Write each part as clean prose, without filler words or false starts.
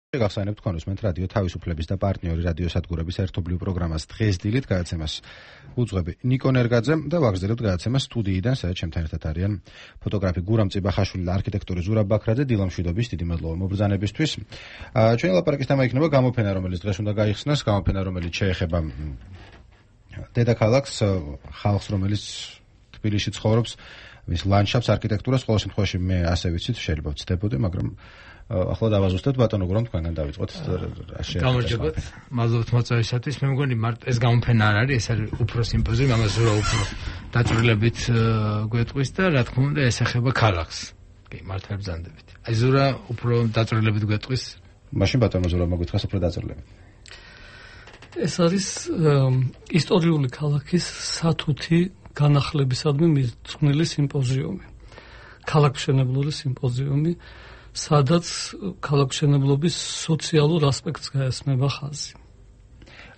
გახსენებთ თქვენ უსმენთ რადიო თავისუფლების და პარტნიორი რადიოსადგურების ერთობლივ პროგრამას დღეს დილით გადაცემას უძღვები ნიკო ნერგაძე და ვაგრძელებთ გადაცემას სტუდიიდან, სადაც ჩემთან ერთად არიან ფოტოგრაფი გურამ წიბახაშვილი და არქიტექტორი ზურაბ ბაქრაძე. დილამშვიდობის, დიდი მადლობა მობრძანებისთვის. ჩვენი ლაპარაკის თემა იქნება გამოფენა, რომელიც დღეს უნდა გაიხსნას, გამოფენა, რომელიც შეეხება დედაქალაქს, ხალხს, რომელიც თბილისში ცხოვრობს, მის ლანდშაფტს, არქიტექტურას. ყოველ შემთხვევაში მე ასე ვიცით, შეიძლება ვცდებოდი, მაგრამ ახლა დავაზუსტეთ ბატონო გურამ, თქვენგან დავიწყოთ. გამარჯობათ, მადლობთ მოწვევისათვის. მე მგონი ეს გამოფენა არ არის, ეს არის უფრო სიმპოზიუმი, ამას ზურა უფრო დაწვრილებით გვეტყვის და რა თქმა უნდა ეს ეხება ქალაქს. კი, მართლა ბრძანდებით. აი ზურა უფრო დაწვრილებით გვეტყვის. მაშინ ბატონო ზურა მოგვითხრას უფრო დაწვრილებით. ეს არის ისტორიული ქალაქის სათუთი განახლებისადმი მიძღვნილი სიმპოზიუმი. ქალაქმშენებლური სიმპოზიუმი, სადაც ქალაქმშენებლობის სოციალურ ასპექტს გაესმება ხაზი.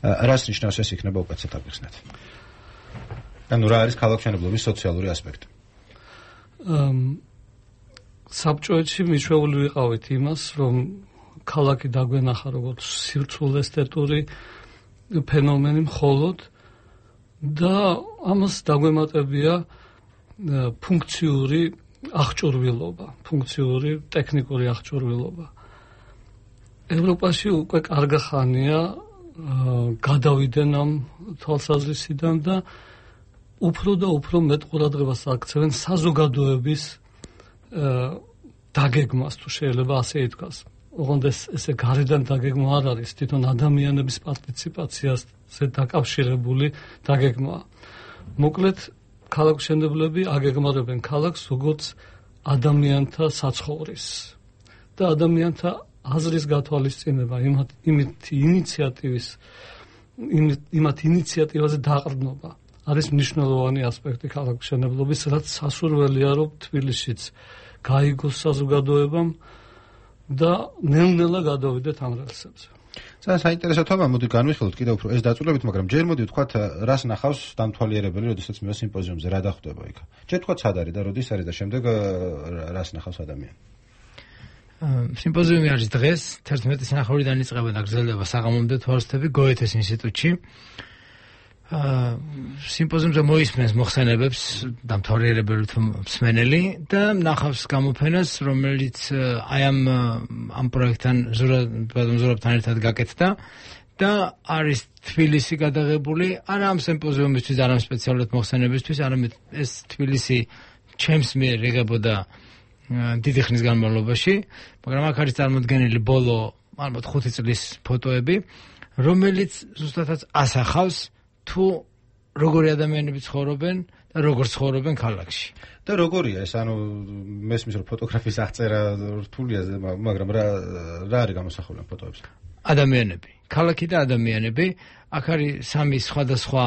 რას ნიშნავს ეს იქნება უკაცეთ აღიხსნათ? ანუ რა არის ქალაქმშენებლობის სოციალური ასპექტი? საბჭოეთში მიშვეული ვიყავით იმას, რომ ქალაქი დაგვენახა როგორც სირცულ-ესთეტური ფენომენი მხოლოდ და ამას დაგვემატებია ფუნქციური აღჭურვილობა, ფუნქციური ტექნიკური აღჭურვილობა. ევროპაში უკვე კარგი ხანია გადავიდნენ ამ თვალსაზრისიდან და უფრო და უფრო მეტ ყურადღებას აქცევენ საზოგადოების დაგეგმას, თუ შეიძლება ასე ითქვას. ოღონდ ესე გარედან დაგეგმა არ არის, თვითონ ადამიანების პარტიციპაციაზე დაკავშირებული დაგეგმაა. მოკლედ ქალაქმშენებლები აგეგმარებენ ქალაქს როგორც ადამიანთა საცხოვრის და ადამიანთა აზრის გათვალისწინება იმათ ინიციატივაზე დაყრდნობა არის მნიშვნელოვანი ასპექტი ქალაქმშენებლობის, რაც სასურველია, რომ თბილისშიც გაიგოს საზოგადოებამ და ნელ-ნელა გადავიდეთ ამ რელსებზე. საინტერესო თემა, მოდი განვიხილოთ კიდევ უფრო ეს დაწვრილებით, მაგრამ ჯერ მოდი ვთქვათ, რას ნახავს დამთვალიერებელი, როდესაც მე სიმპოზიუმზე რა დახვდება იქ. ჯერ ვთქვათ, სად არის და როდის არის და შემდეგ რას ნახავს ადამიანი. სიმპოზიუმი არის დღეს 11 სინახავრიდან იწყება და გრძელდება საღამომდე თვალსთები გოეთეს ინსტიტუტში. სიმპოზიუმზე მოისმენს მოხსენებებს დამთვალიერებელი მსმენელი და ნახავს გამოფენას, რომელიც აი ამ პროექტთან ზურაბთან ერთად გაკეთდა და არის თბილისი გადაღებული არა ამ სიმპოზიუმისთვის, არა სპეციალურად მოხსენებისთვის, არამედ ეს თბილისი ჩემს მიერ იღებოდა დიდი ხნის განმავლობაში, მაგრამ აქ არის წარმოდგენილი ბოლო ალბათ 5 წლის ფოტოები, რომელიც ზუსტადაც ასახავს თუ როგორი ადამიანები ცხოვრობენ და როგორ ცხოვრობენ ქალაქში. და როგორია ეს, ანუ მესმის რომ ფოტოგრაფის აღწერა რთულია, მაგრამ რა არის გამოსახული ამ ფოტოებზე? ადამიანები, ქალაქი და ადამიანები. აქ არის 3 სხვადასხვა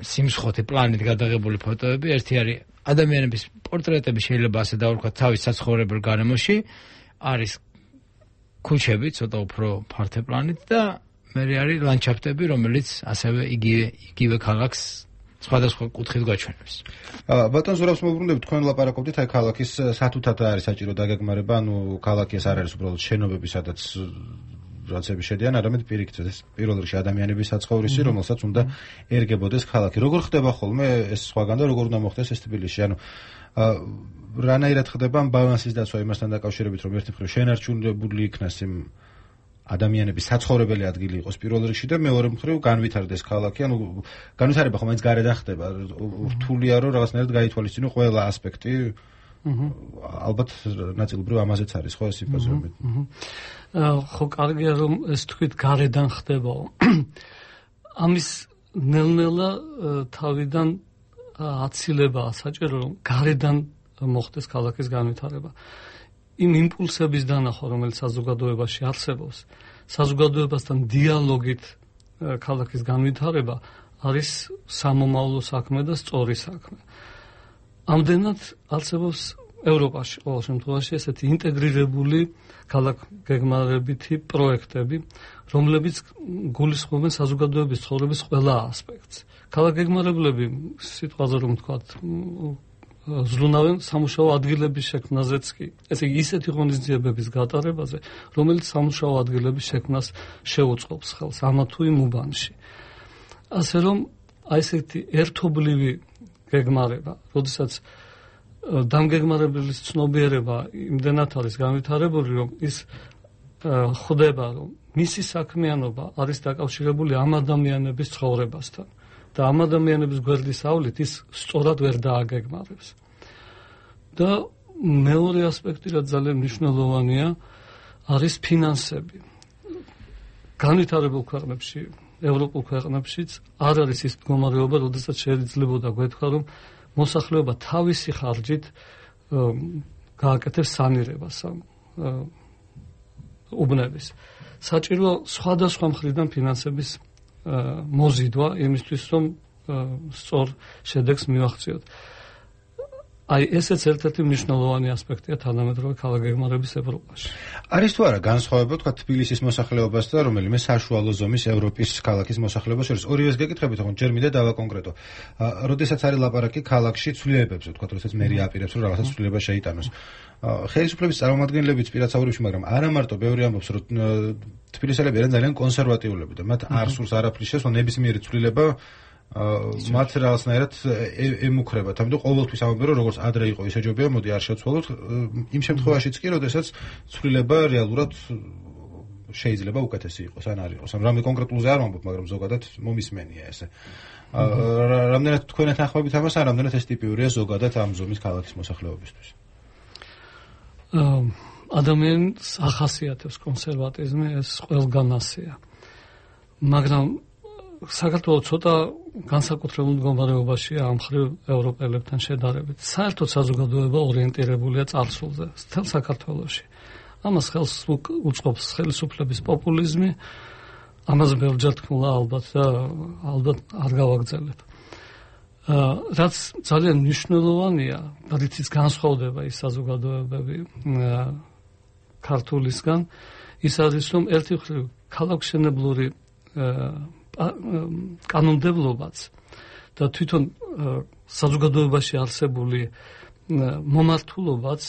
სიმსხოთი პლანით გადაღებული ფოტოები. ერთი არის ადამიანების პორტრეტები, შეიძლება ასე დავარქვათ, თავის საცხოვრებელ გარემოში. არის ქუჩები, ცოტა უფრო ფართე პლანით და მე არის ლანდშაფტები, რომელიც ასევე იგივე ქალაქს სხვადასხვა კუთხით გაჩვენებს. ბატონ ზურაბს მოვუბრუნდებით, თქვენ ლაპარაკობდით აი ქალაქის სათუთად არის საჭირო დაგეგმარება, ანუ ქალაქი ეს არ არის უბრალოდ შენობები, სადაც რაცები შედიან, არამედ პირიქით ეს პირველ რიგში ადამიანების საცხოვრისი, რომელსაც უნდა ერგებოდეს ქალაქი. როგორ ხდება ხოლმე ეს სხვაგან და როგორ უნდა მოხდეს ეს თბილისში? ანუ რანაირად ხდება ამ ბალანსის დაცვა იმასთან დაკავშირებით, რომ ერთი მხრივ შენარჩუნებული იქნას იმ ადამიანების საცხოვრებელი ადგილი იყოს პირველ რიგში და მეორე მხრივ განვითარდეს ქალაქი, ანუ განვითარება ხომ მაინც გარედან ხდება, რთულია რომ რაღაცნაირად გაითვალისწინო ყველა ასპექტი. ალბათ ნაწილობრივ ამაზეც არის ხო ეს სიმპოზიუმი. ხო, კარგია რომ ეს თქვით გარედან ხდებაო. ამის ნელ-ნელა თავიდან აცილებაა საჭირო, რომ გარედან მოხდეს ქალაქის განვითარება. იმ იმპულსების დანახვა, რომელიც საზოგადოებაში არსებობს, საზოგადოებასთან დიალოგით ქალაქის განვითარება არის სამომავლო საქმე და სწორი საქმე. ამდენად არსებობს ევროპაში ყოველ შემთხვევაში ესეთი ინტეგრირებული ქალაქგეგმარებითი პროექტები, რომლებიც გულისხმობენ საზოგადოების ცხოვრების ყველა ასპექტს. ქალაქგეგმარებლები, სიტყვაზე რომ ვთქვათ, ზრუნავენ სამუშაო ადგილების შექმნაზეც კი. ესე იგი ისეთი ღონისძიებების გატარებაზე, რომელიც სამუშაო ადგილების შექმნას შეუწყობს ხელს ამა თუ იმ უბანში. ასე რომ აი ესეთი ერთობლივი გეგმარება, როდესაც დამგეგმარებლის ცნობიერება იმდენად არის განვითარებული, რომ ის ხვდება, რომ მისი საქმიანობა არის დაკავშირებული ამ ადამიანების ცხოვრებასთან და ამ ადამიანების გვერდის ავლით ის სწორად ვერ დააგეგმარებს. და მეორე ასპექტი, რაც ძალიან მნიშვნელოვანია, არის ფინანსები. განვითარებულ ქვეყნებში, ევროპულ ქვეყნებშიც არ არის ის მდგომარეობა, როდესაც შეიძლებოდა გვეთქვა, რომ მოსახლეობა თავისი ხარჯით გააკეთებს სანირებას უბნების. საჭირო სხვადასხვა მხრიდან ფინანსების მოზიდვა იმისთვის, რომ სწორ შედეგს მივახციოთ. აი ესეც ერთ-ერთი მნიშვნელოვანი ასპექტია თანამედროვე ქალაქგეგმარების ევროპაში. არის თუ არა განსხვავება თქვა თბილისის მოსახლეობას და რომელიმე საშუალო ზომის ევროპის ქალაქის მოსახლეობას შორის? ორივეს გეკითხებით, თქო, ჯერ მინდა დავაკონკრეტო. როდესაც არის ლაპარაკი ქალაქში ცვლილებებზე, თქვა, როდესაც მერი აპირებს, რომ რაღაცა ცვლილება შეიტანოს. ხელისუფლების წარმომადგენლებიც პირაცაურებში, მაგრამ არა მარტო, ბევრი ამბობს, რომ თბილისელები არიან ძალიან კონსერვატიულები და მათ არ სურს არაფრის შესვლა, ნებისმიერი ცვლილება მათ რაღაცნაირად ემუქრებათ. ამიტომ ყოველთვის ამბობენ, რომ როგორც ადრე იყო, ისე ჯობია, მოდი არ შევცვალოთ. იმ შემთხვევაშიც კი, როდესაც ცვლილება რეალურად შეიძლება უკეთესი იყოს, ან არ იყოს. რამე კონკრეტულზე არ ვამბობ, მაგრამ ზოგადად მომისმენია ესე. რამდენად თქვენთან ახლობით ამას, ან რამდენად ეს ტიპიურია ზოგადად ამ ზომის ქალაქის მოსახლეობისთვის? ადამიანს ახასიათებს კონსერვატიზმი, ეს ყველგან ასეა. მაგრამ საქართველოს ცოტა განსაკუთრებულ მდგომარეობაშია ამ მხრივ ევროპელებთან შედარებით. საერთოდ საზოგადოება ორიენტირებულია წარსულზე, მთელ საქართველოში. ამას ხელს უწყობს ხელისუფლების პოპულიზმი, ამას ბევრჯერ თქმულა ალბათ და ალბათ არ გავაგრძელებ. რაც ძალიან მნიშვნელოვანია, რითიც განსხვავდება ის საზოგადოებები ქართულისგან, ის არის, რომ ერთი მხრივ ქალაქშენებლური კანონმდებლობაც და თვითონ საზოგადოებაში არსებული მომართულობაც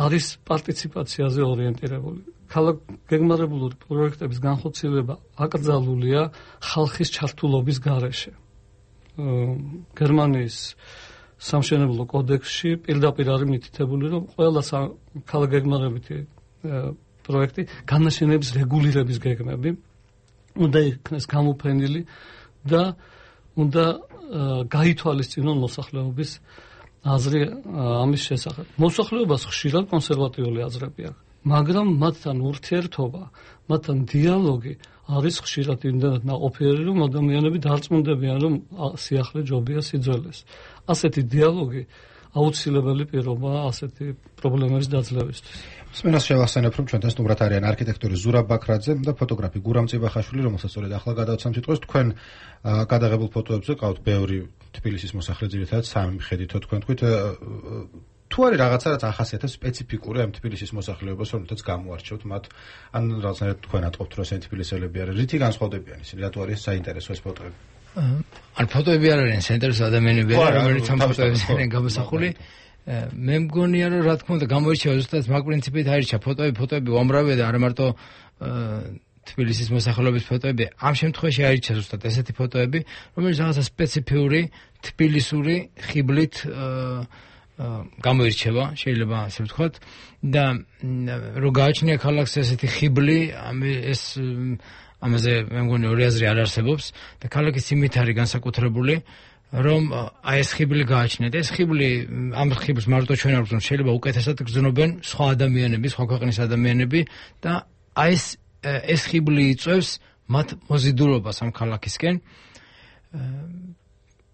არის პარტიციპაციაზე ორიენტირებული. ქალაქგეგმარებულური პროექტების განხორციელება აკრძალულია ხალხის ჩართულობის გარეშე. გერმანიის სამშენებლო კოდექსში პირდაპირ არის მითითებული, რომ ყველა ქალაქგეგმარებითი პროექტი განაშენების რეგულირების გეგმები უნდა იქნეს გამოფენილი და უნდა გაითვალისწინონ მოსახლეობის აზრი ამის შესახებ. მოსახლეობას ხშირად კონსერვატიული აზრები აქვს, მაგრამ მათთან ურთიერთობა, მათთან დიალოგი არის ხშირად იმდენად ნაყოფიერი, რომ ადამიანები დარწმუნდებიან, რომ სიახლე ჯობია სიძველეს. ასეთი დიალოგი აუცილებელი პირობაა ასეთი პრობლემების დაძლევისთვის. მსმენელს შევახსენებ, რომ ჩვენთან სტუმრად არიან არქიტექტორი ზურაბ ბაქრაძე და ფოტოგრაფი გურამ წიბახაშვილი, რომელსაც სწორედ ახლა გადავცემ სიტყვას. თქვენ გადაღებულ ფოტოებზე ყავთ ბევრი თბილისის მოსახლე, ძირითადად სამი მხედითო თქვენ თქვით. თუ არის რაღაცა, რაც ახასიათებს სპეციფიკური ამ თბილისის მოსახლეობას, რომელთაც გამოარჩევთ მათ, ან რაღაცნაირად თქვენ ატყობთ, რომ ესენი თბილისელები არიან, რითი განსხვავდებიან ისინი, რატო არის საინტერესო ეს ფოტოები? ან ფოტოები არ არიან საინტერესო ადამიანები, რომელიც ამ ფოტოებზე არიან გამოსახული. მე მგონია, რომ რა თქმა უნდა გამოირჩევა ზუსტად მაგ პრინციპით აირჩა ფოტოები უამრავია და არა მარტო თბილისის მოსახლეობის ფოტოები. ამ შემთხვევაში აირჩა ზუსტად ესეთი ფოტოები, რომელიც რაღაცა სპეციფიური თბილისური ხიბლით გამოირჩევა, შეიძლება ასე ვთქვათ, და რო გააჩნია ქალაქს ესეთი ხიბლი, ეს ამაზე მე მგონი ორი აზრი არ არსებობს და ქალაქის იმით არის განსაკუთრებული, რომ აი ეს ხიბლი გააჩნიათ. ეს ხიბლი, ამ ხიბლს მარტო ჩვენ არ ვგზნობთ, შეიძლება უკეთესად გზნობენ სხვა ადამიანები, სხვა ქვეყნის ადამიანები და აი ეს ხიბლი იწვევს მათ მოზიდულობას ამ ქალაქისკენ.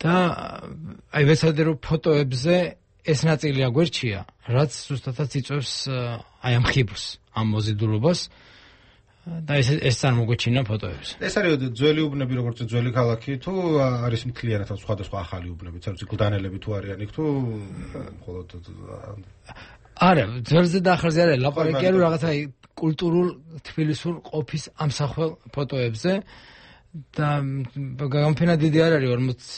და აი ვეცადე რომ ფოტოებზე ეს ნაწილი აგვერჩია, რაც ზუსტადაც იწვევს აი ამ ხიბლს, ამ მოზიდულობას. და ეს წარმოგვეჩინა ფოტოებს. ეს არის ძველი უბნები, როგორც ძველი ქალაქი, თუ არის მთლიანად სხვადასხვა ახალი უბნები, თორემ გლდანელები თუ არიან იქ, თუ მხოლოდ არა, ძველზე და ახალზე არის ლაპარაკია, რომ რაღაცა კულტურულ თბილისურ ყოფის ამსახველ ფოტოებზე და გამოფენა დიდი არ არის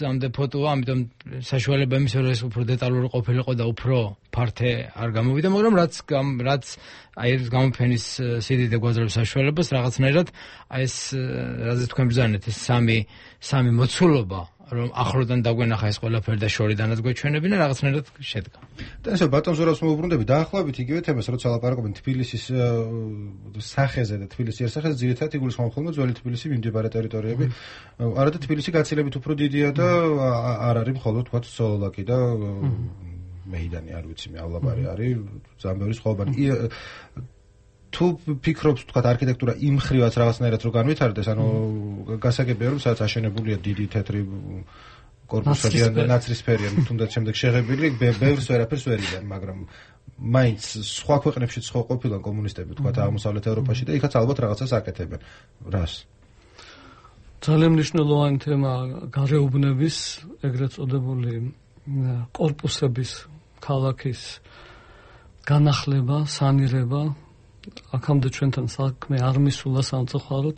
40-მდე ფოტოა, ამიტომ საშუალება იმის რომ ეს უფრო დეტალური ყოფილიყო და უფრო ფართე არ გამოვიდა, მაგრამ რაც აი ეს გამოფენის სიდიდე გვაძლევს საშუალებას რაღაცნაირად აი ეს რაზე თქვენ ბრძანეთ ეს სამი მოცულობა რომ ახლოდან დაგვენახა ეს ყველაფერი და შორიდანაც გვეჩვენებინა რაღაცნაირად შედგა. და ესე ბატონ ზურაბს მოვუბრუნდები დაახლოებით იგივე თემას როცა ლაპარაკობენ თბილისის სახეზე და თბილისის იერსახეზე ძირითადად იგულისხმობ ხოლმე ძველი თბილისი მიმდებარე ტერიტორიები. არადა თბილისი გაცილებით უფრო დიდია და არ არის მხოლოდ თქვა სოლოლაკი და მეიდანი არ ვიცი მე ავლაბარი არის ზამბერის ხოვბანი. თუ ფიქრობთ თქვა არქიტექტურა იმ ხრივაც რაღაცნაირად რო განვითარდეს, ანუ გასაგებია რომ სადაც აშენებულია დიდი თეთრი კორპუსები და ნაცრისფერია, თუნდაც შემდეგ შეღებილი, ბევრს ვერაფერს ვერ იდან, მაგრამ მაინც სხვა ქვეყნებშიც ხო ყოფილან კომუნისტები თქვა აღმოსავლეთ ევროპაში და იქაც ალბათ რაღაცას აკეთებენ. რას? ძალიან მნიშვნელოვანი თემა გარეუბნების, ეგრეთ წოდებული კორპუსების ქალაქის განახლება, სანირება აქამდე ჩვენთან საქმე არ მისულა სამწუხაროდ,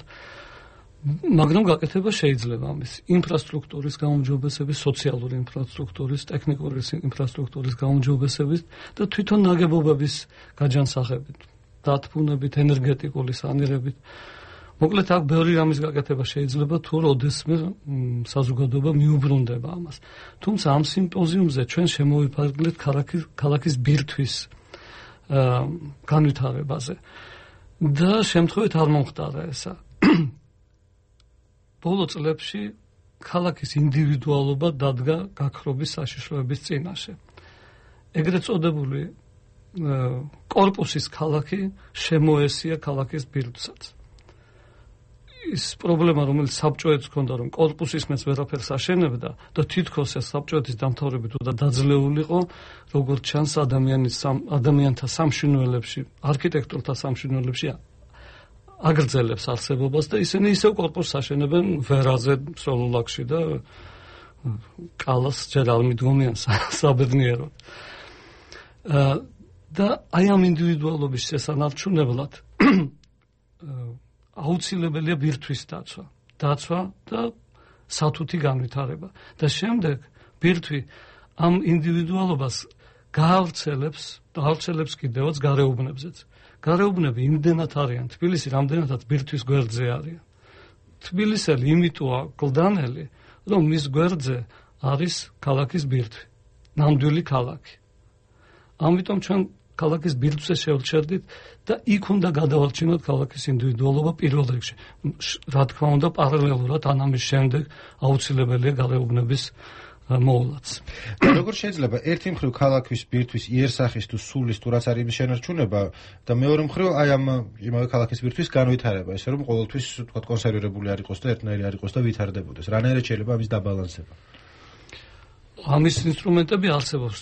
მაგრამ გაკეთება შეიძლება ამის ინფრასტრუქტურის გაუმჯობესების, სოციალური ინფრასტრუქტურის, ტექნიკური ინფრასტრუქტურის გაუმჯობესების და თვითონ ნაგებობების გაჯანსაღებით, დათბუნებით, ენერგეტიკული სანირებით. მოკლედ აქ ბევრი რამის გაკეთება შეიძლება თუ როდესმე საზოგადოება მიუბრუნდება ამას. თუმცა ამ სიმპოზიუმზე ჩვენ შემოვიფარგლეთ ქალაქის ბირთვის განვითარებაზე და შემთხვევით არ მომხდარა ესა. ბოლო წლებში ქალაქის ინდივიდუალობა დადგა გაქრობის საშიშროების წინაშე. ეგრეთ წოდებული კორპუსის ქალაქი შემოესია ქალაქის ბირთვსაც. ის პრობლემა, რომელიც საბჭოებს ჰქონდა, რომ კორპუსის მეც ვერაფერს აშენებდა და თითქოს ეს საბჭოეთის დამთავრებით უნდა დაძლეულიყო, როგორც ჩანს ადამიანთა სამშინველებში, არქიტექტორთა სამშინველებში აგრძელებს არსებობას და ისინი ისევ კორპუსს აშენებენ ვერაზე, სოლოლაკში და კალას ჯერ არ მიდგომიან საბედნიეროდ. და აი ამ ინდივიდუალობის შესანარჩუნებლად აუცილებელია ბირთვის დაცვა და სათუთი განვითარება. და შემდეგ ბირთვი ამ ინდივიდუალობას გაავრცელებს კიდევაც გარეუბნებზეც. გარეუბნები იმდენად არიან, თბილისი რამდენადაც ბირთვის გვერდზე არის. თბილისელი იმიტოა გლდანელი, რომ მის გვერდზე არის ქალაქის ბირთვი, ნამდვილი ქალაქი. ამიტომ ჩვენ ქალაქის ბირთვზე შევჩერდით და იქ უნდა გადავარჩინოთ ქალაქის ინდივიდუალობა პირველ რიგში. რა თქმა უნდა, პარალელურად ამის შემდეგ აუცილებელია გარეუბნების მოვლაც. და როგორ შეიძლება ერთი მხრივ ქალაქის ბირთვის იერსახის თუ სულის თუ რაც არის შენარჩუნება და მეორე მხრივ აი ამ იმავე ქალაქის ბირთვის განვითარება, ესე რომ ყოველთვის თქვა კონსერვირებული არ იყოს და ერთნაირი არ იყოს და ვითარდებოდეს. რანაირად შეიძლება ამის დაბალანსება? ამის ინსტრუმენტები არსებობს.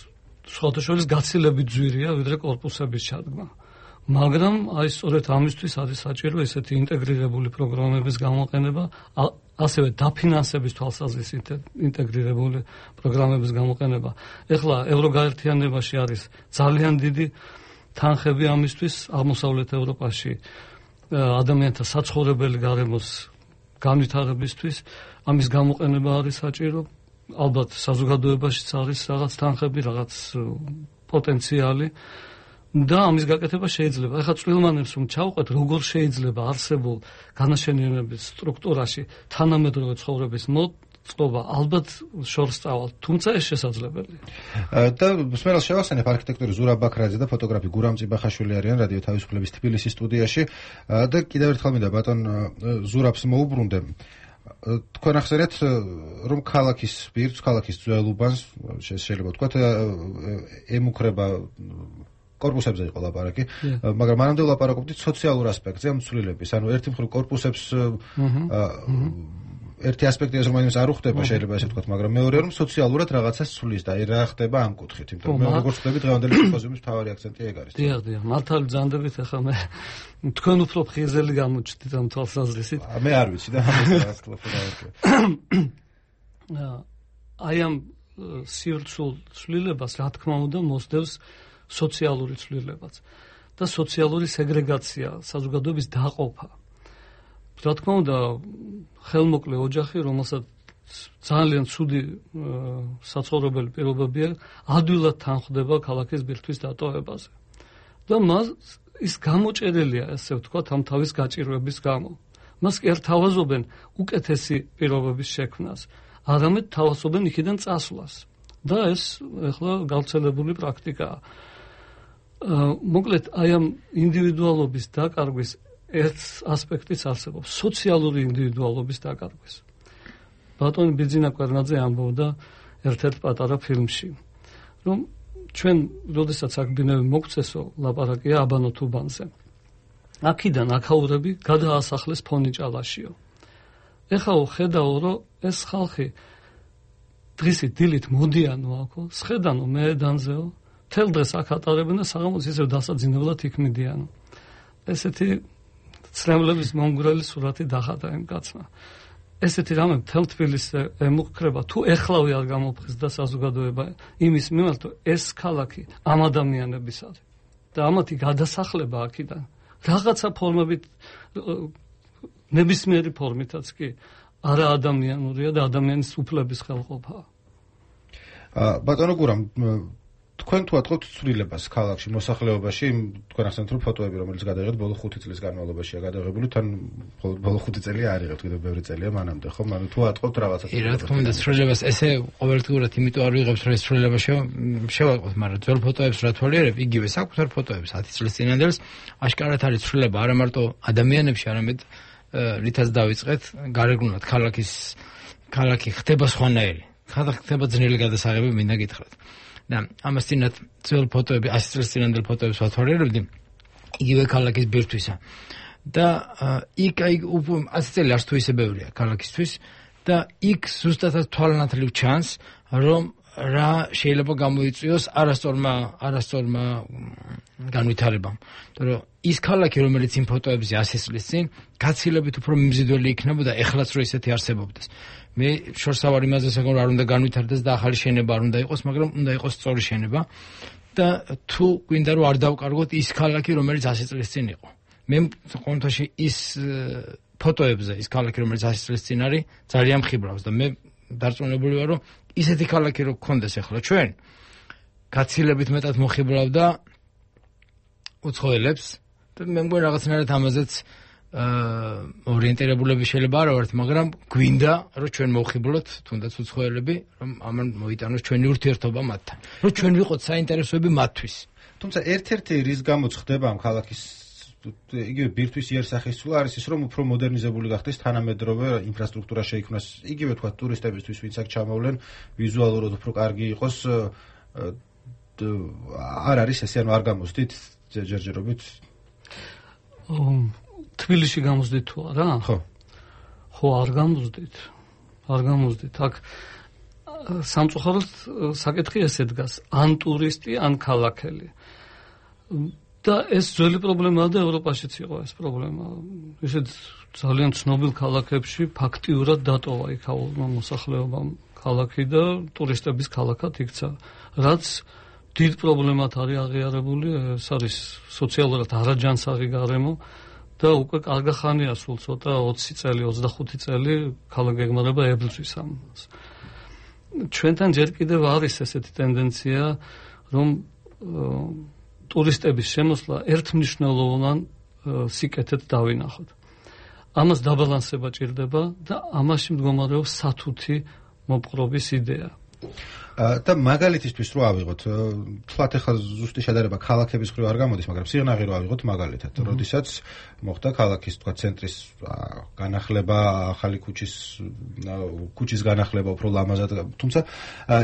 სხვათა შორის გაცილებით ძვირია ვიდრე კორპუსების ჩადგმა. მაგრამ აი სწორედ ამისთვის არის საჭირო ესეთი ინტეგრირებული პროგრამების გამოყენება, ასევე დაფინანსების თვალსაზრისით ინტეგრირებული პროგრამების გამოყენება. ეხლა ევროგაერთიანებაში არის ძალიან დიდი თანხები ამისთვის, აღმოსავლეთ ევროპაში ადამიანთა საცხოვრებელი გარემოს განვითარებისთვის ამის გამოყენება არის საჭირო. ალბათ საზოგადოებაშიც არის რაღაც თანხები, რაღაც პოტენციალი და ამის გაკეთება შეიძლება. ეხლა წვრილმანებს რომ ჩავყვეთ, როგორ შეიძლება არსებულ განაშენიანების სტრუქტურაში თანამედროვე ცხოვრების მოწყობა, ალბათ შორს წავალ, თუმცა ეს შესაძლებელია. და მსმენელს შევახსენებ არქიტექტორი ზურაბ ბაქრაძე და ფოტოგრაფი გურამ წიბახაშვილი არიან რადიო თავისუფლების თბილისის სტუდიაში და კიდევ ერთხელ მინდა ბატონ ზურაბს მოუბრუნდე. თქვენ ახსენეთ, რომ ქალაქის ბირთვს, ქალაქის ძველუბანს შეიძლება ვთქვათ, ემუქრება კორპუსებზე იყო ლაპარაკი, მაგრამ მანამდე ვლაპარაკობდით სოციალურ ასპექტზე ამ ცვლილების. ანუ ერთი მხრივ კორპუსებს ერთი ასპექტი ეს რომელიც არ უხდება შეიძლება ესე ვთქვათ, მაგრამ მეორე რომ სოციალურად რაღაცას ცვლის და აი რა ხდება ამ კუთხით, იმიტომ რომ როგორც ვთქვი, დღევანდელი სიმპოზიუმის მთავარი აქცენტი ეგ არის. დიახ, მართალი ძანდებით ახლა მე თქვენ უფრო ხიზელი გამოჩნდით ამ თვალსაზრისით. მე არ ვიცი და ამას რაღაც დავარქვა. აი ამ სივრცულ ცვლილებას რა თქმა უნდა მოსდევს სოციალური ცვლილებაც და სოციალური სეგრეგაცია, საზოგადოების დაყოფა. რა თქმა უნდა, ხელმოკლე ოჯახი, რომელსაც ძალიან ცუდი საცხოვრებელი პირობები აქვს, ადვილად თანხდება ქალაქის ბირთვის დატოვებაზე. და მას ის გამოჭერილია, ასე ვთქვათ, ამ თავის გაჭირვების გამო. მას კი არ თავაზობენ უკეთესი პირობების შექმნას, არამედ თავაზობენ იქიდან წასვლას. და ეს ახლა გავრცელებული პრაქტიკაა. მოკლედ, აი ამ ინდივიდუალობის დაკარგვის ერთ ასპექტიც არსებობს, სოციალური ინდივიდუალობის დაკარგვის. ბატონი ბიძინა კვერნაძე ამბობდა ერთ-ერთ პატარა ფილმში, რომ ჩვენ, როდესაც აქ ბინები მოგწესო, ლაპარაკია აბანო თუბანზე. აქედან აქაურები გადაასახლეს ფონიჭალაშიო. ეხლა ხედავ, რომ ეს ხალხი დღისით დილით მოდიანო აქო, სხედანო მეედანზეო, თელ დღეს აქ ატარებენ და საღამოს ისევ დასაძინებლად იქ მიდიანო. ესეთი ცრემლების მომგვრელი სურათი დახატა იმ კაცმა. ესეთი რამე მთელ თბილისზე ემუქრება, თუ ეხლავე არ გამოფხიზდა საზოგადოება იმის მიმართ, რომ ეს ქალაქი ამ ადამიანების არის და ამათი გადასახლება აქედან რაღაცა ფორმებით, ნებისმიერი ფორმითაც კი არა ადამიანურია და ადამიანის უფლების ხელყოფაა. ბატონო გურამ, თქვენ თუ ატყობთ ცვლილებას ქალაქში, მოსახლეობაში, თქვენ ახსენეთ რომ ფოტოები, რომელიც გადაიღეთ ბოლო 5 წლის განმავლობაშია გადაღებული, თან ბოლო 5 წელი არ იღებთ, კიდევ ბევრი წელია მანამდე, ხო? ანუ თუ ატყობთ რაღაცა რა თქმა უნდა, ცვლილებას ესე ყოველდღურად იმიტომ არ ვიღებთ, რომ ეს ცვლილება შევატყოთ, მაგრამ ძველ ფოტოებს რა თვალიერებ, იგივე საკუთარ ფოტოებს 10 წლის წინანდელს, აშკარად არის ცვლილება, არა მარტო ადამიანებში, არამედ რითაც დავიწყეთ, გარეგნულად ქალაქი ხდება სხვანაირი. ხდება ძნელი გადასაღები, მინდა გითხრათ. და ამას წინათ ძველ ფოტოები, 100 წლის წინანდელ ფოტოებს ვათვალიერებდი, იგივე ქალაქის ბირთვისა. და იქ 100 წელი არც თუ ისე ბევრია ქალაქისთვის და იქ ზუსტადად თვალანათლივ ჩანს, რომ რა შეიძლება გამოიწვიოს არასწორმა განვითარებამ. რომ ის ქალაქი, რომელიც იმ ფოტოებზე 100 წლის წინ გაცილებით უფრო მიმზიდველი იქნებოდა, ეხლაც რო ისეთი არსებობდეს. მე შორს ავარ იმაზე, რომ არ უნდა განვითარდეს და ახალი შენება არ უნდა იყოს, მაგრამ უნდა იყოს სწორი შენება და თუ გვინდა რომ არ დავკარგოთ ის ქალაქი, რომელიც 100 წლის წინ იყო. მე კონტაში ის ფოტოებზე ის ქალაქი, რომელიც 100 წლის წინ არის, ძალიან მხიბრავს და მე დარწმუნებული ვარ, რომ ისეთი ქალაქი რო გქონდეს ახლა ჩვენ, გაცილებით მეტად მოხიბლავდა უცხოელებს და მე მგონი რაღაცნაირად ამაზეც ორიენტირებულები შეიძლება არ ვართ, მაგრამ გვინდა რომ ჩვენ მოვხიბლოთ თუნდაც უცხოელები, რომ ამან მოიტანოს ჩვენი ურთიერთობა მათთან, რომ ჩვენ ვიყოთ საინტერესოები მათთვის. თუმცა ერთ-ერთი რის გამოც ხდება ამ ქალაქის იგივე ბირთვის იერსახისწვლა არის ის, რომ უფრო მოდერნიზებული გახდეს, თანამედროვე ინფრასტრუქტურა შეიქმნას, იგივე თქვა ტურისტებისთვის, ვინც აქ ჩამოვლენ, ვიზუალურად უფრო კარგი იყოს, არ არის ესე, ანუ არ გამოსდით ჯერჯერობით. თბილისში გამოსდით თუ არა? ხო, არ გამოსდით. აქ სამწუხაროდ საკითხი ესე დგას, ან ტურისტი, ან ქალაქელი. და ეს ძველი პრობლემაა და ევროპაშიც იყო ეს პრობლემა. ისეთ ძალიან ცნობილ ქალაქებში ფაქტიურად დატოვა იქაურმა მოსახლეობამ ქალაქი და ტურისტების ქალაქად იქცა. რაც დიდ პრობლემად არის აღიარებული, ეს არის სოციალურად არაჯანსაღი გარემო და უკვე კარგი ხანია, სულ ცოტა 20 წელი, 25 წელი ქალაქი ეგმარება ებრძვის ამას. ჩვენთან ჯერ კიდევ არის ესეთი ტენდენცია, რომ ტურისტების შემოსვლა ერთმნიშვნელოვან სიკეთედ დავინახოთ. ამას დაბალანსება ჭირდება და ამაში მდგომარეობს სათუთი მოპყრობის იდეა. და მაგალითისთვის რო ავიღოთ, თქვათ ახლა ზუსტი შედარება ქალაქების მხრივ არ გამოდის, მაგრამ სიღნაღი რო ავიღოთ მაგალითად, როდესაც მოხდა ქალაქის თქვა ცენტრის განახლება, ახალი ქუჩის განახლება უფრო ლამაზად, თუმცა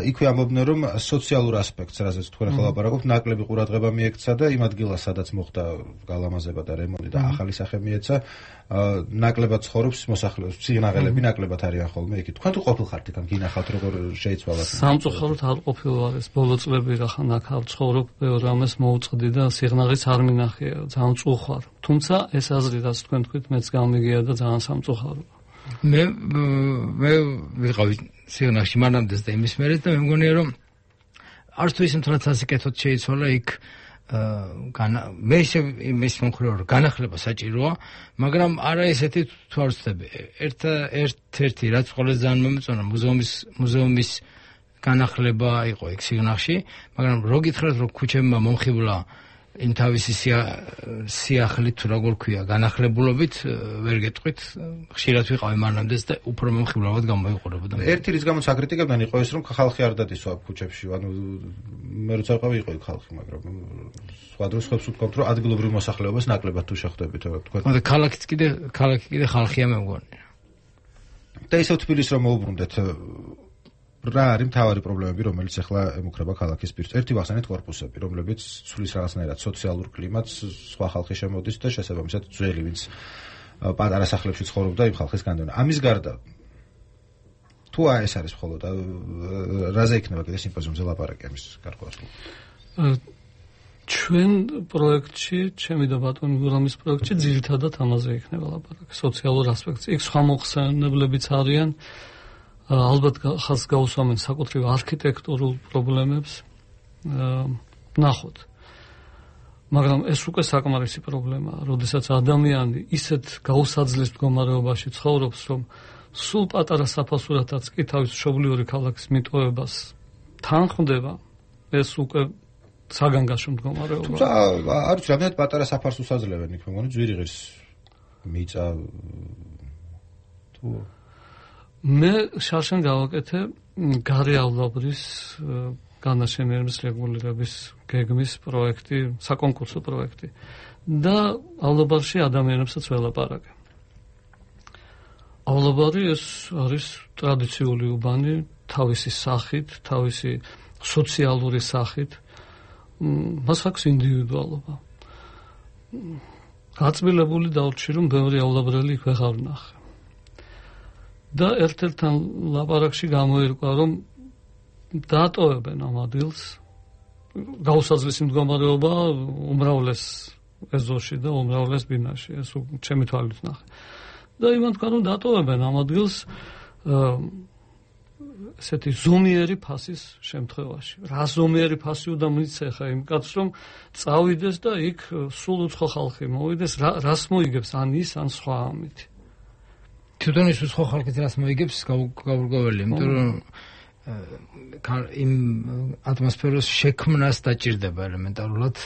იქვე ამბობდნენ, რომ სოციალურ ასპექტს, რაზეც თქვენ ახლა ლაპარაკობთ, ნაკლები ყურადღება მიექცა და იმ ადგილას, სადაც მოხდა გალამაზება და რემონტი და ახალი სახე მიეცა, ნაკლებად ცხოვრობს მოსახლეობის, სიღნაღელები ნაკლებად არიან ხოლმე იქ. თქვენ თუ ყოფილხართ იქ, გინახავთ როგორ შეიცვალა? სამწუხაროდ არ ყოფილვარ ეს ბოლო წლები რახან აქ არ ცხოვრობ, ბევრ ამას მოუწყდი და სიღნაღიც არ მინახია, ძალიან წუხარ. თუმცა ეს აზრი, რაც თქვენ თქვით, მეც გამიგია და ძალიან სამწუხაროა. მე ვიყავი სიღნაღში მანამდეც და იმის მერე და მე მგონია რომ არც თუ ის მთლად სასიკეთოდ შეიცვალა იქ მე ისე იმის მომხრეო რომ განახლება საჭიროა, მაგრამ არა ესეთი თუ არ ვცდები. ერთ-ერთი რაც ყველაზე ძალიან მომეწონა მუზეუმის განახლება იყო ეგ სიგნალში, მაგრამ რო გითხრათ რომ ქუჩებმა მომხიბლა იმ თავისი სიახლით თუ როგორ ქვია განახლებულობით ვერ გეტყვით, ხშირად ვიყავი მანამდეც და უფრო მომხიბლავად გამოიყურებოდა. ერთი რის გამოც აკრიტიკებდნენ იყო ეს რომ ხალხი არ დადისვა ქუჩებში, ანუ მე როცა ვიყავი იყო იქ ხალხი, მაგრამ სხვა დროს ხებს ვთქვათ რომ ადგილობრივ მოსახლეობას ნაკლებად თუ შეხვდებით, თქვა. მაგრამ ქალაქი კიდე ხალხია მე მგონი. და ისევ თბილისს რომ მოუბრუნდეთ რა არის მთავარი პრობლემები, რომელიც ახლა ემუქრება ქალაქის პირს? ერთი ვახსენეთ კორპუსები, რომლებიც ცვლის რაღაცნაირად სოციალურ კლიმატს, სხვა ხალხი შემოდის და შესაბამისად ძველი, ვინც პატარა სახლებში ცხოვრობდა, იმ ხალხის განდევნა. ამის გარდა თუ ეს არის მხოლოდ რაზე იქნება კიდე სიმპოზიუმზე ლაპარაკი ამის გარკვეულად? ჩვენ პროექტში, ჩემი და ბატონი გურამის პროექტში ძირითადად ამაზე იქნება ლაპარაკი, სოციალურ ასპექტზე. იქ სხვა მოხსენებლებიც არიან. ალბათ ხალხს გაუსვამენ საკუთრივ არქიტექტურულ პრობლემებს, ნახოთ. მაგრამ ეს უკვე საკმარისი პრობლემაა, როდესაც ადამიანი ისეთ გაუსაძლეს მდგომარეობაში ცხოვრობს, რომ სულ პატარა საფასურათაც კი თავის მშობლიური ქალაქის მიტოვებას თანხმდება, ეს უკვე საგანგაშო მდგომარეობა. თუმცა არ ვიცი, რამდენად პატარა საფასურს აძლევენ იქ, მე მგონი ძვირი ღირს მიწა თუ მე შარშან გავაკეთე გარეავლაბრის განაშენების რეგულირების გეგმის პროექტი, საკონკურსო პროექტი დაავლაბარში ადამიანებსაც ველაპარაკე.ავლაბარი ეს არის ტრადიციული უბანი, თავისი სახით, თავისი სოციალური სახით, მას აქვს ინდივიდუალობა. გაწმილებული დავრჩი რომ ბევრიავლაბრელი იქ ვეღარ ვნახე. და ერთ-ერთთან ლაპარაკში გამოირკვა, რომ დაატოვებენ ამ ადგილს გაუსაძლისი მდგომარეობა უმრავლეს ეზოში და უმრავლეს ბინაში, ეს ჩემი თვალით ნახე. და იმან თქვა, რომ დაატოვებენ ამ ადგილს ესეთი ზომიერი ფასის შემთხვევაში. რა ზომიერი ფასი უნდა მიცეხა იმ კაცს, რომ წავიდეს და იქ სულ უცხო ხალხი მოვიდეს, რას მოიგებს ან ის ან სხვა ამით. თვითონ ის სხვა ხალხით რას მოიგებს გაურკვეველი, იმიტომ რომ იმ ატმოსფეროს შექმნას დაჭირდება ელემენტარულად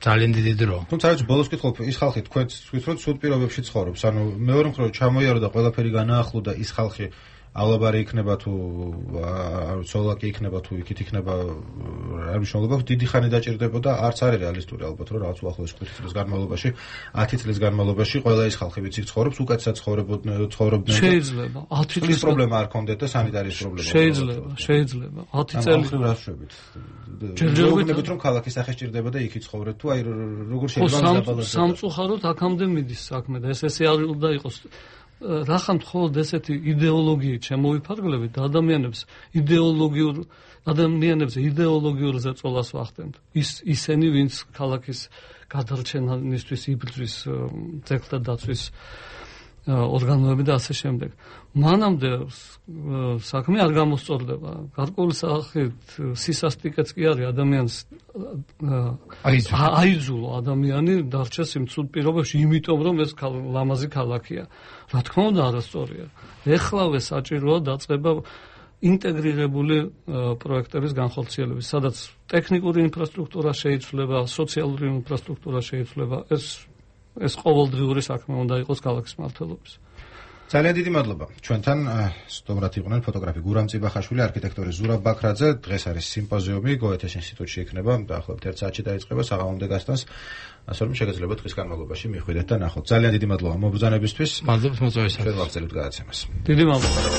ძალიან დიდი დრო. თუმცა რაც ბოლოს კითხულობ, ის ხალხი თქვენს თვითონ სულ პირობებში ცხოვრობს, ანუ მეორე მხრივ ჩამოიარო და ყველაფერი განაახლო და ის ხალხიავლაბარი იქნება თუ სოლაკი იქნება თუ იქით იქნება არ მნიშვნელობა, დიდი ხანი დაჭირდებოდა, არც არის რეალისტური ალბათ, რომ რაღაც უახლოეს 5 წლის განმავლობაში, 10 წლის განმავლობაში ყველა ის ხალხი ვინც იქ ცხოვრობს, უკეთესად ცხოვრობდნენ. შეიძლება 10 წლის პრობლემა არ ქონდეთ და სანიტარიის პრობლემა. შეიძლება 10 წელი რა შვებით. ჯერჯერობით რომ ქალაქის სახე სჭირდება და იქ იცხოვრეთ თუ აი როგორ შეიძლება დაბალოს. სამწუხაროდ აქამდე მიდის საქმე და ესე არ უნდა იყოს. რახან მხოლოდ ესეთი იდეოლოგიით შემოვიფარგლებით და ადამიანებზე იდეოლოგიურ ზეწოლას ვახდენთ. ისინი, ვინც ქალაქის გადარჩენისთვის იბრძვის ძეგლთა დაცვის ორგანოები და ასე შემდეგ. მანამდე საქმე არ გამოსწორდება. გარკვეული სახით სისასტიკეც კი არის ადამიანს აიძულო ადამიანი დარჩეს იმ ცუდ პირობებში, იმიტომ რომ ეს ლამაზი ქალაქია. რა თქმა უნდა არასწორია. ეხლავე საჭიროა დაწყება ინტეგრირებული პროექტების განხორციელების, სადაც ტექნიკური ინფრასტრუქტურა შეიცვლება, სოციალური ინფრასტრუქტურა შეიცვლება, ეს ყოველდღიური საქმე უნდა იყოს ქალაქის მმართველობის. ძალიან დიდი მადლობა. ჩვენთან სტუმრად იყვნენ ფოტოგრაფი გურამ წიბახაშვილი, არქიტექტორი ზურაბ ბაქრაძე. დღეს არის სიმპოზიუმი გოეთეს ინსტიტუტში იქნება, დაახლოებით 1 საათში დაიწყება საღამომდე გასტანს. ასე რომ შეგეძლება დღის განმავლობაში მიხვიდეთ და ნახოთ. ძალიან დიდი მადლობა მობრძანებისთვის. მადლობა მოწვევისათვის. ჩვენ ვაგრძელებთ გადაცემას. დიდი მადლობა.